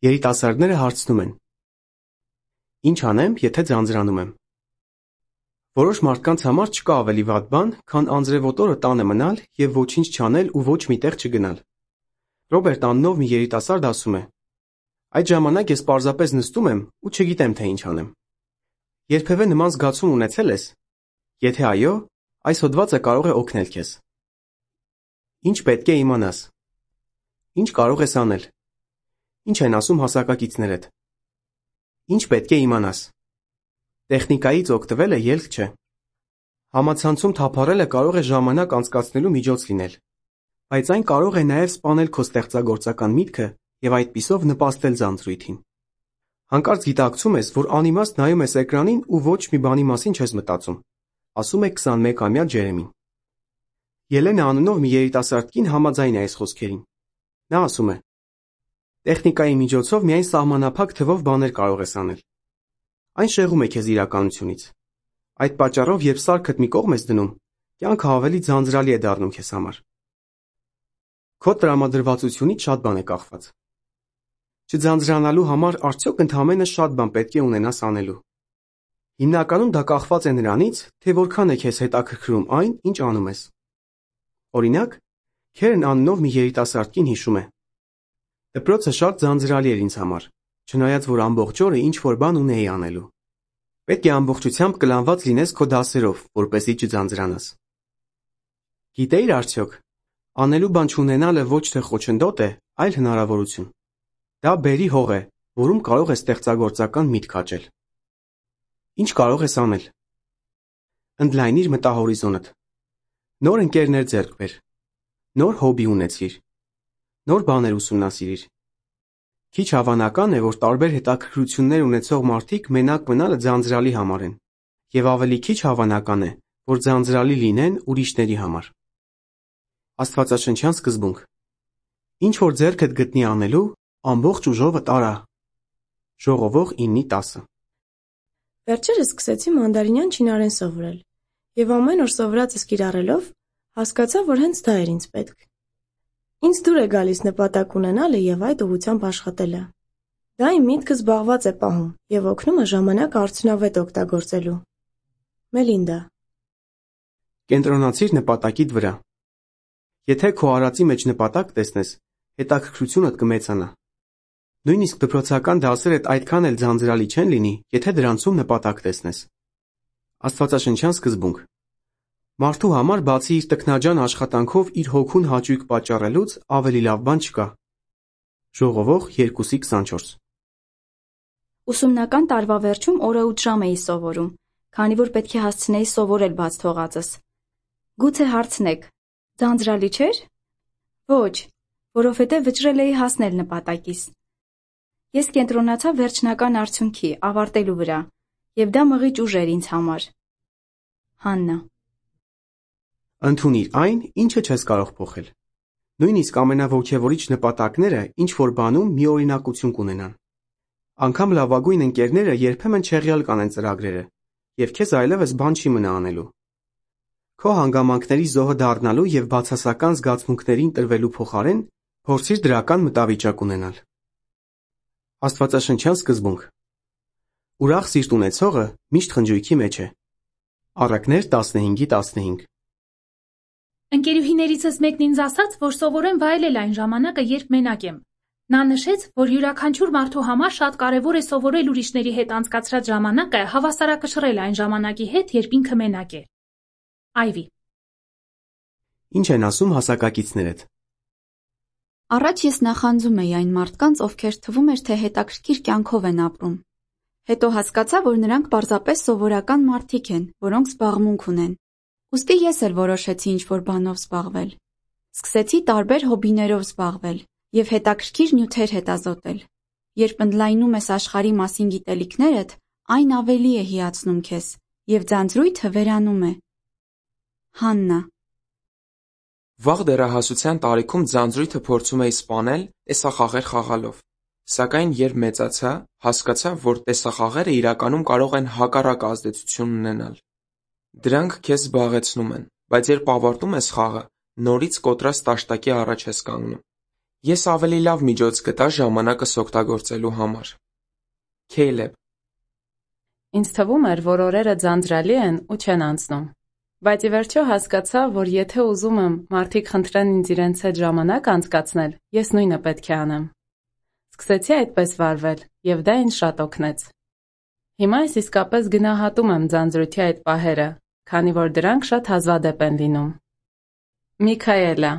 Երիտասարդները հարցնում են. Ինչ անեմ, եթե ձանձրանում եմ։ Որոշ մարդկանց համար չկա ավելի վատ բան, քան անձրևոտ օրը տանը մնալ և ոչինչ չանել ու ոչ մի տեղ չգնալ։ Ռոբերտ անունով մի երիտասարդ ասում է. այդ ժամանակ ես պարզապես նստում եմ ու չգիտեմ, թե ինչ անեմ։ Երբևէ նման զգացում ունեցել ես։ Եթե այո, այս հոդվածը կարող է օգնել քեզ։ Ինչ պետք է իմանաս։ Ինչ կարող ես անել։ Ինչ են ասում հասակակիցներդ։ Ինչ պետք է իմանաս։ Տեխնիկայից օգտվելը ելք չէ։ Համացանցում թափառելը կարող է ժամանակ անցկացնելու միջոց լինել, բայց այն կարող է նաև սպանել քո ստեղծագործական միտքը և այդպիսով նպաստել ձանձրույթին։ Հանկարծ գիտակցում ես, որ անիմաստ նայում ես էկրանին ու ոչ մի բանի մասին չես մտածում, ասում է 21-ամյա Ջերեմին։ Ելենա անունով մի երիտասարդ կին համաձայն է այս խոսքերին։ Նա ասում է. տեխնիկայի միջոցով միայն սահմանափակ թվով բաներ կարող ես անել։ Այն շեղում է քեզ իրականությունից։ Այդ պատճառով, երբ սարքդ մի կողմ ես դնում, կյանքը ավելի ձանձրալի է դառնում քեզ համար։ Քո տրամադրվածությունից շատ բան է կախված։ Չձանձրանալու համար արդյոք ընդամենը շատ բան պետք է ունենաս անելու։ Հիմնականում դա կախված է նրանից, թե որքան է քեզ հետաքրքրում այն, ինչ անում ես։ Օրինակ, Քերն անունով մի երիտասարդ կին հիշում է. դպրոցը շատ ձանձրալի էր ինձ համար, չնայած որ ամբողջ օրը ինչ-որ բան ունեի անելու։ Պետք է ամբողջությամբ կլանված լինես քո դասերով, որպեսզի չձանձրանաս։ Գիտեիր արդյոք, անելու բան չունենալը ոչ թե խոչընդոտ է, այլ հնարավորություն։ Դա բերի հող է, որում կարող ես ստեղծագործական միտք աճել։ Ինչ կարող ես անել։ Ընդլայնիր մտահորիզոնդ։ Նոր ընկերներ ձեռք բեր։ Նոր հոբի ունեցիր։ Նոր բաներ ուսումնասիրիր։ Քիչ հավանական է, որ տարբեր հետաքրքրություններ ունեցող մարդիկ մենակ մնալը ձանձրալի համարեն, և ավելի քիչ հավանական է, որ ձանձրալի լինեն ուրիշների համար։ Աստվածաշնչյան սկզբունք. ինչ որ ձեռքդ գտնի անելու, ամբողջ ուժովդ արա։ Ժողովող 9:10։ Վերջերս սկսեցի մանդարինյան չինարեն սովորել, և ամեն օր սովորածս կիրառելով, հասկացա, որ հենց դա էր ինձ պետք։ Ինձ դուր է գալիս նպատակ ունենալը և այդ ուղղությամբ աշխատելը։ Դա իմ միտքը զբաղված է պահում և օգնում է ժամանակը արդյունավետ օգտագործելու։ Մելինդա։ Կենտրոնացիր նպատակիդ վրա։ Եթե քո արածի մեջ նպատակ տեսնես, հետաքրքրությունդ կմեծանա։ Նույնիսկ դպրոցական դասերդ այդքան էլ ձանձրալի չեն լինի, եթե դրանցում նպատակ տեսնես։ Աստվածաշնչյան սկզբունք. մարդու համար բացի իր տքնաջան աշխատանքով իր հոգուն հաճույք պատճառելուց ավելի լավ բան չկա։ Ժողովող 2:24։ Ուսումնական տարվա վերջում օրը 8 ժամ էի սովորում, քանի որ պետք է հասցնեի սովորել բաց թողածս։ Գուցե հարցնեք, ձանձրալի չէր։ Ոչ, որովհետև վճռել էի հասնել նպատակիս։ Ես կենտրոնացա վերջնական արդյունքի, ավարտելու վրա, և դա մղիչ ուժ էր ինձ համար։ Հաննա։ Ընդունիր այն, ինչը չես կարող փոխել։ Նույնիսկ ամենաոգևորիչ նպատակները ինչ-որ բանում մի օրինակություն կունենան։ Անգամ լավագույն ընկերները երբեմն չեղյալ կանեն ծրագրերը, և քեզ այլևս բան չի մնա անելու։ Քո հանգամանքների զոհը դառնալու և բացասական զգացմունքներին տրվելու փոխարեն փորձիր դրական մտավիճակ ունենալ։ Աստվածաշնչյան սկզբունք. ուրախ սիրտ ունեցողը միշտ խնջույքի մեջ է։ Առակներ 15:15։ Ընկերուհիներիցս մեկն ինձ ասաց, որ սովորեմ վայելել այն ժամանակը, երբ մենակ եմ։ Նա նշեց, որ յուրաքանչյուր մարդու համար շատ կարևոր է սովորել ուրիշների հետ անցկացրած ժամանակը հավասարակշռել այն ժամանակի հետ, երբ ինքը մենակ է։ Այվի։ Ինչ են ասում հասակակիցներդ։ Առաջ ես նախանձում էի այն մարդկանց, ովքեր թվում էր, թե հետաքրքիր կյանքով են ապրում։ Հետո հասկացա, որ նրանք պարզապես սովորական մարդիկ են, որոնք զբաղմունք ունեն։ Ուստի ես էլ որոշեցի ինչ-որ բանով զբաղվել։ Սկսեցի տարբեր հոբիներով զբաղվել և հետաքրքիր նյութեր հետազոտել։ Երբ ընդլայնում ես աշխարհի մասին գիտելիքներդ, այն ավելի է հիացնում քեզ, և ձանձրույթը վերանում է։ Հաննա։ Վաղ դեռահասության տարիքում ձանձրույթը փորձում էի սպանել տեսախաղեր խաղալով։ Սակայն երբ մեծացա, հասկացա, որ տեսախաղերը իրականում կարող են հակառակ ազդեցություն ունենալ։ Դրանք քեզ զբաղեցնում են, բայց երբ ավարտում ես խաղը, նորից կոտրած տաշտակի առաջ ես կանգնում։ Ես ավելի լավ միջոց գտա ժամանակս օգտագործելու համար։ Քեյլեբ. Ինձ թվում էր, որ օրերը ձանձրալի են ու չեն անցնում։ Բայց ի վերջո հասկացա, որ եթե ուզում եմ մարդիկ խնդրեն ինձ իրենց հետ ժամանակ անցկացնել, ես նույնը պետք է անեմ։ Սկսեցի այդպես վարվել, եւ դա ինձ շատ օգնեց։ Հիմա ես իսկապես գնահատում եմ ձանձրույթի այդ պահերը, քանի որ դրանք շատ հազվադեպ են լինում։ Միքայելա